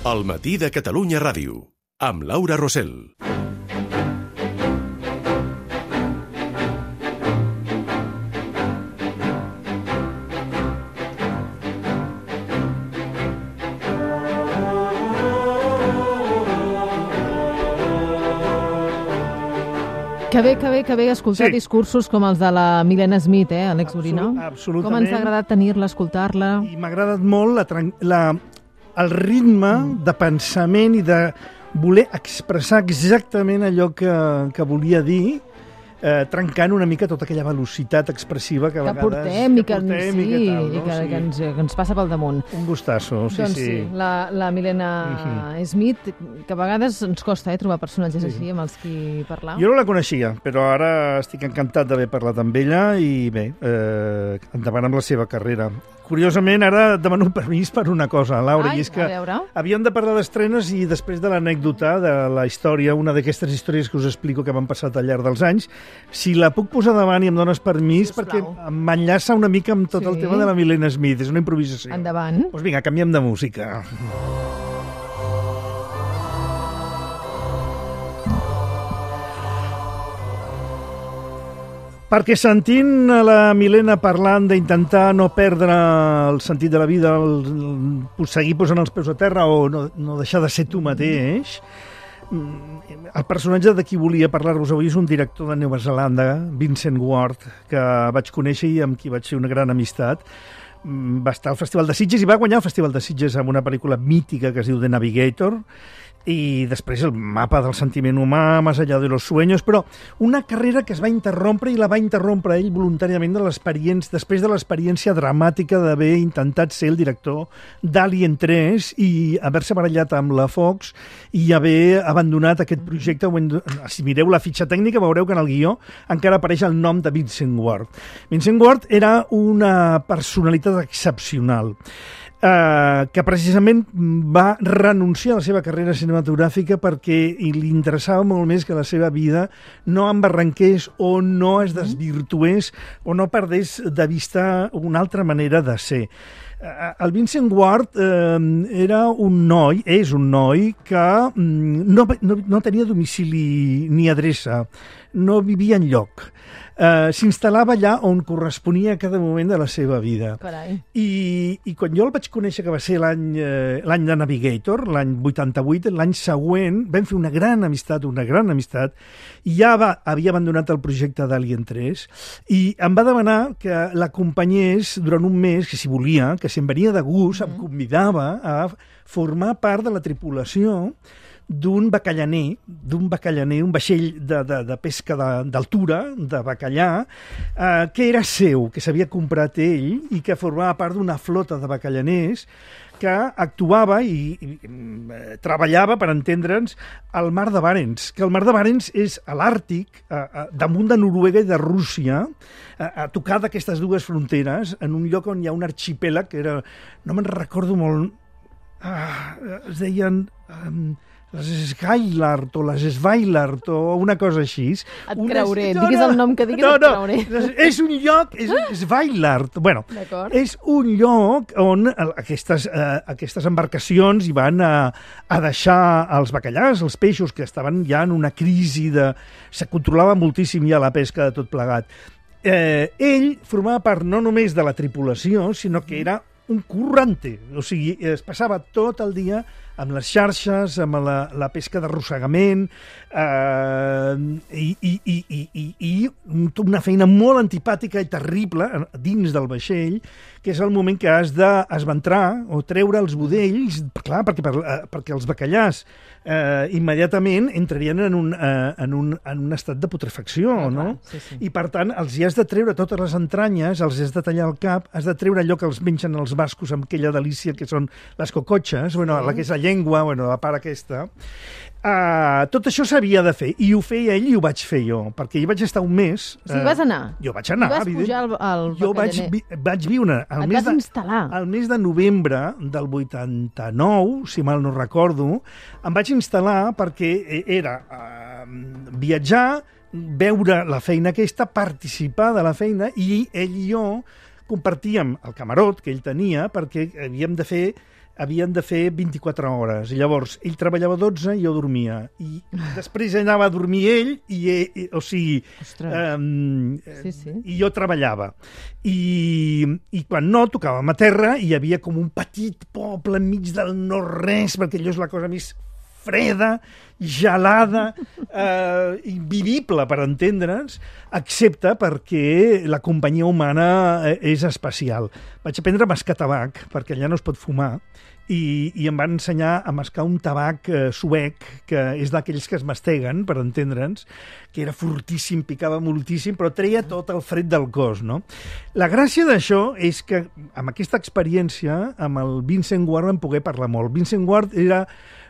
El matí de Catalunya Ràdio, amb Laura Rosell. Que bé escoltar discursos com els de la Milena Smith, Àlex Gorina. Absolutament. Com ens ha agradat tenir-la, escoltar-la. I m'ha agradat molt el ritme de pensament i de voler expressar exactament allò que volia dir, trencant una mica tota aquella velocitat expressiva que a vegades portem i que ens passa pel damunt. Un gustasso, sí. Doncs sí, la Milena Smith, que a vegades ens costa trobar personatges així amb els qui parlar. Jo no la coneixia, però ara estic encantat d'haver parlat amb ella i bé, endavant amb la seva carrera. Curiosament, ara demano permís per una cosa, Laura, i és que havíem de parlar d'estrenes i després de l'anècdota de la història, una d'aquestes històries que us explico que m'han passat al llarg dels anys, si la puc posar davant i em dones permís, perquè m'enllaça una mica amb tot el tema de la Milena Smith, és una improvisació. Endavant. Doncs vinga, canviem de música. Perquè sentint la Milena parlant d'intentar no perdre el sentit de la vida, seguir posant els peus a terra o no deixar de ser tu mateix, el personatge de qui volia parlar-vos avui és un director de Nova Zelanda, Vincent Ward, que vaig conèixer i amb qui vaig fer una gran amistat. Va estar al Festival de Sitges i va guanyar el Festival de Sitges amb una pel·lícula mítica que es diu The Navigator, i després el mapa del sentiment humà, Más allá de los sueños, però una carrera que es va interrompre i la va interrompre ell voluntàriament després de l'experiència dramàtica d'haver intentat ser el director d'Alien 3 i haver-se barallat amb la Fox i haver abandonat aquest projecte. Si mireu la fitxa tècnica veureu que en el guió encara apareix el nom de Vincent Ward. Vincent Ward era una personalitat excepcional, que precisament va renunciar a la seva carrera cinematogràfica perquè li interessava molt més que la seva vida no embarranqués o no es desvirtués o no perdés de vista una altra manera de ser. El Vincent Ward és un noi que no tenia domicili ni adreça, no vivia enlloc. S'instal·lava allà on corresponia a cada moment de la seva vida. Carai. I quan jo el vaig conèixer, que va ser l'any de Navigator, l'any 88, l'any següent vam fer una gran amistat, i ja havia abandonat el projecte d'Alien 3, i em va demanar que l'acompanyés durant un mes, que si volia, que si em venia de gust, em convidava a formar part de la tripulació d'un bacallaner, un vaixell de pesca d'altura, de bacallà, que era seu, que s'havia comprat ell i que formava part d'una flota de bacallaners que actuava i treballava, per entendre'ns, al mar de Barents, que el mar de Barents és a l'Àrtic, damunt de Noruega i de Rússia, a tocar d'aquestes dues fronteres, en un lloc on hi ha un arxipèlag que era, no me'n recordo molt, es deien les Skylark o les Svailart o una cosa així. Et creuré, diguis el nom que diguis, et creuré. És un lloc, és Svailart. Bueno, és un lloc on aquestes embarcacions hi van a deixar els bacallars, els peixos, que estaven ja en una crisi se controlava moltíssim ja la pesca de tot plegat. Ell formava part no només de la tripulació, sinó que era un currante, o sigui, es passava tot el dia amb les xarxes, amb la pesca d'arrossegament, i una feina molt antipàtica i terrible dins del vaixell, que és el moment que has d'esventrar o treure els budells, clar, perquè els bacallars immediatament entrarien en un estat de putrefacció, no? Sí. I per tant els hi has de treure totes les entranyes, els has de tallar el cap, has de treure allò que els mengen els bascos amb aquella delícia que són les cocotxes, la que és la llengua, la part aquesta. Tot això s'havia de fer, i ho feia ell i ho vaig fer jo, perquè hi vaig estar un mes. O sigui, vas anar? Jo vaig anar, evident. I vas pujar al bacallaner? Jo vaig viure... Et vas instal·lar? El mes de novembre del 89, si mal no recordo, em vaig instal·lar perquè era viatjar, veure la feina aquesta, participar de la feina, i ell i jo compartíem el camarot que ell tenia perquè havíem de fer havien de fer 24 hores. I llavors, ell treballava 12 i jo dormia. I després anava a dormir ell, o sigui, i jo treballava. I quan no, tocàvem a terra i hi havia com un petit poble enmig del no-res, perquè allò és la cosa més freda, gelada, invivible, per entendre'ns, excepte perquè la companyia humana és especial. Vaig aprendre a mascar tabac, perquè allà no es pot fumar, i em van ensenyar a mascar un tabac suec, que és d'aquells que es masteguen, per entendre'ns, que era fortíssim, picava moltíssim, però treia tot el fred del cos, no? La gràcia d'això és que, amb aquesta experiència, amb el Vincent Ward vam poder parlar molt. Vincent Ward era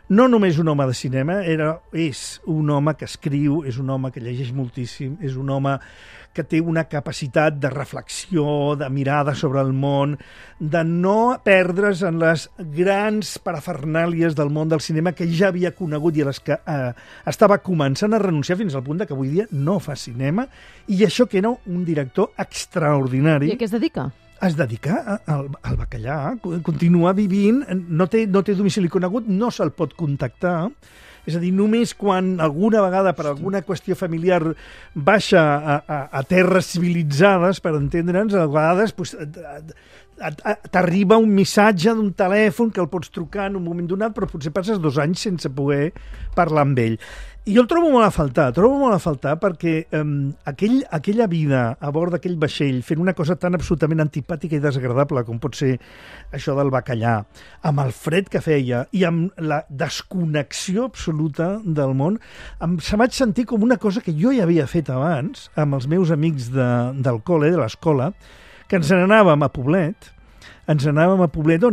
no només un home de cinema, és un home que escriu, és un home que llegeix moltíssim, és un home que té una capacitat de reflexió, de mirada sobre el món, de no perdre's en les grans parafernàlies del món del cinema que ja havia conegut i a les que estava començant a renunciar fins al punt que avui dia no fa cinema, i això que era un director extraordinari. I a què es dedica? Es dedica al bacallà, continua vivint, no té domicili conegut, no se'l pot contactar, és a dir, només quan alguna vegada per alguna qüestió familiar baixa a terres civilitzades, per entendre'ns, a vegades t'arriba un missatge d'un telèfon que el pots trucar en un moment donat, però potser passes 2 anys sense poder parlar amb ell. I jo el trobo molt a faltar perquè aquella vida a bord d'aquell vaixell, fent una cosa tan absolutament antipàtica i desagradable com pot ser això del bacallà, amb el fred que feia i amb la desconnexió absoluta del món, se vaig sentir com una cosa que jo ja havia fet abans amb els meus amics del col·le, de l'escola, que ens n'anàvem a Poblet, on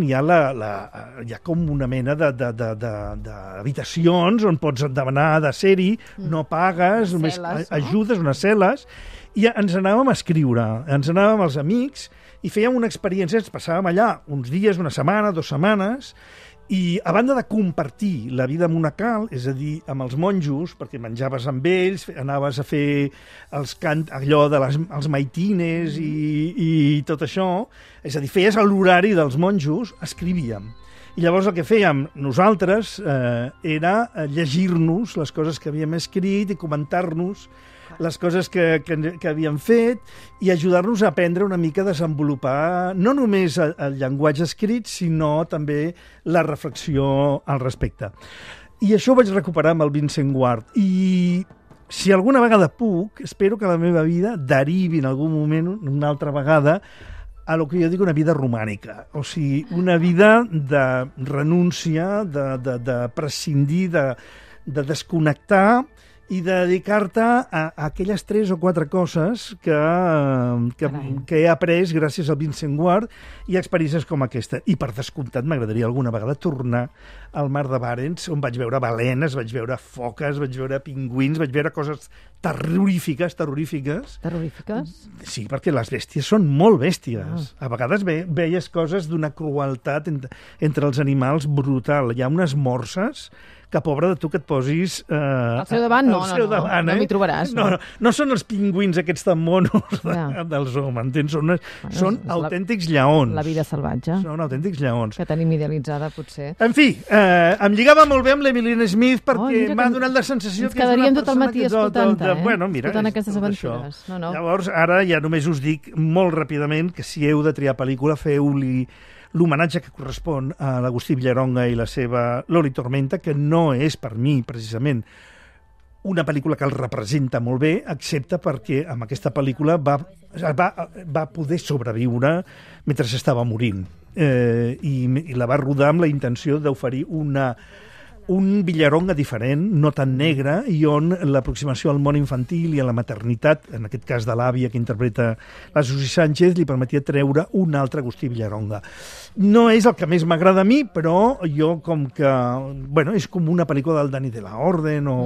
hi ha com una mena d'habitacions on pots demanar de ser-hi, no pagues, només ajudes, unes cel·les, i ens anàvem a escriure, ens anàvem els amics i fèiem una experiència, ens passàvem allà uns dies, una setmana, 2 setmanes, i a banda de compartir la vida monacal, és a dir, amb els monjos, perquè menjaves amb ells, anaves a fer allò els maitines i tot això, és a dir, feies l'horari dels monjos, escrivíem. I llavors el que fèiem nosaltres era llegir-nos les coses que havíem escrit i comentar-nos les coses que havíem fet i ajudar-nos a aprendre una mica a desenvolupar no només el llenguatge escrit, sinó també la reflexió al respecte. I això ho vaig recuperar amb el Vincent Ward. I si alguna vegada puc, espero que la meva vida derivi en algun moment, una altra vegada, a lo que jo dic una vida romànica. O sigui, una vida de renúncia, de prescindir, de desconnectar i de dedicar-te a aquelles 3 o 4 coses que he après gràcies al Vincent Ward i experiències com aquesta. I per descomptat m'agradaria alguna vegada tornar al mar de Barents, on vaig veure balenes, vaig veure foques, vaig veure pingüins, vaig veure coses terrorífiques. Terrorífiques? Sí, perquè les bèsties són molt bèsties. A vegades veies coses d'una crueltat entre els animals brutal. Hi ha unes morses que pobre de tu que et posis... Al seu davant no m'hi trobaràs. No són els pingüins aquests tan monos del zoo, m'entens? Són autèntics lleons. La vida salvatge. Són autèntics lleons. Que tenim idealitzada, potser. En fi, em lligava molt bé amb l'Emilien Smith perquè m'ha donat la sensació que és una persona... Ens quedaríem tot el matí escoltant-te, escoltant aquestes aventures. Llavors, ara ja només us dic molt ràpidament que si heu de triar pel·lícula, feu-li l'homenatge que correspon a l'Agustí Villaronga i la seva Loli Tormenta, que no és per mi, precisament, una pel·lícula que el representa molt bé, excepte perquè amb aquesta pel·lícula va poder sobreviure mentre estava morint. I la va rodar amb la intenció d'oferir un Villaronga diferent, no tan negre, i on l'aproximació al món infantil i a la maternitat, en aquest cas de l'àvia que interpreta la Susi Sánchez, li permetia treure un altre Agustí Villaronga. No és el que més m'agrada a mi, però jo com que... Bueno, és com una pel·lícula del Dani de la Orden o...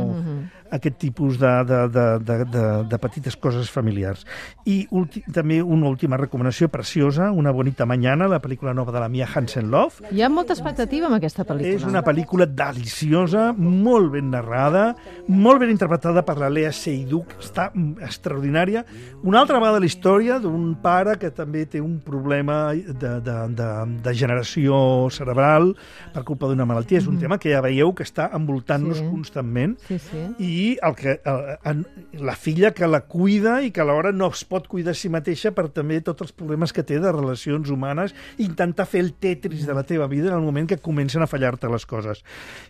aquest tipus de petites coses familiars. I també una última recomanació preciosa, Una bonita mañana, la pel·lícula nova de la Mia Hansen-Løve. Hi ha molta expectativa amb aquesta pel·lícula. És una pel·lícula deliciosa, molt ben narrada, molt ben interpretada per la Lea Seydoux, està extraordinària. Una altra vegada la història d'un pare que també té un problema de generació cerebral per culpa d'una malaltia. És un tema que ja veieu que està envoltant-nos constantment. Sí, sí. I la filla que la cuida i que alhora no es pot cuidar a si mateixa per també tots els problemes que té de relacions humanes, intentar fer el tetris de la teva vida en el moment que comencen a fallar-te les coses.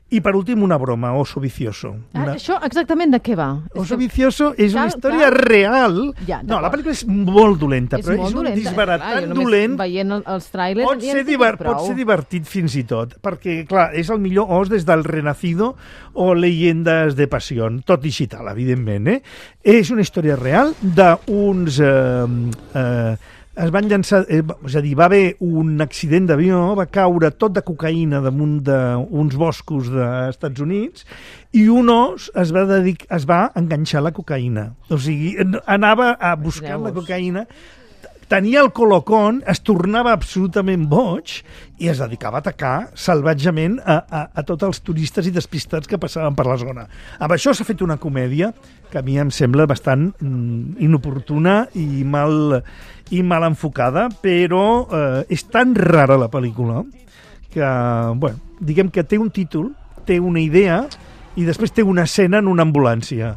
I per últim, una broma, Oso Vicioso. Això exactament de què va? Oso Vicioso és una història real. No, la pel·lícula és molt dolenta, però és un disbarat tan dolent. Veient els tràilers... Pot ser divertit fins i tot, perquè, clar, és el millor os des del Renacido o Leyendas de Pasión, tot digital, evidentment. És una història real d'uns... es van llançar, és a dir, va haver un accident d'avió, va caure tot de cocaïna damunt d'uns boscos dels Estats Units i un os es va enganxar la cocaïna. O sigui, anava a buscar la cocaïna, tenia el colocón, es tornava absolutament boig i es dedicava a atacar salvatgement a tots els turistes i despistats que passaven per la zona. Amb això s'ha fet una comèdia que a mi em sembla bastant inoportuna i mal enfocada, però és tan rara la pel·lícula que, bueno, diguem que té un títol, té una idea i després té una escena en una ambulància.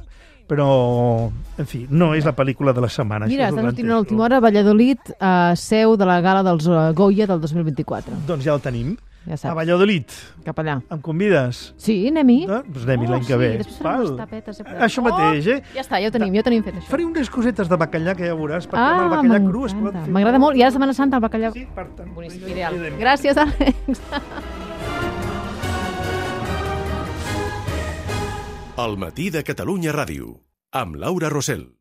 Però, en fi, no és la pel·lícula de la setmana. Mira, està sortint a l'última hora, Valladolid, seu de la gala dels Goya del 2024. Doncs ja el tenim. Ja saps. A Valladolid. Cap allà. Em convides? Sí, anem-hi. Doncs anem-hi l'any que ve. Sí, després farem unes tapetes. Això mateix, Ja està, ja ho tenim fet, això. Faré unes cosetes de bacallà que ja veuràs, perquè amb el bacallà cru es pot fer. M'agrada molt. I ara Setmana Santa, el bacallà... Sí, per tant. Boníssim, ideal. Gràcies, Àlex. El matí de Catalunya Ràdio, amb Laura Rossell.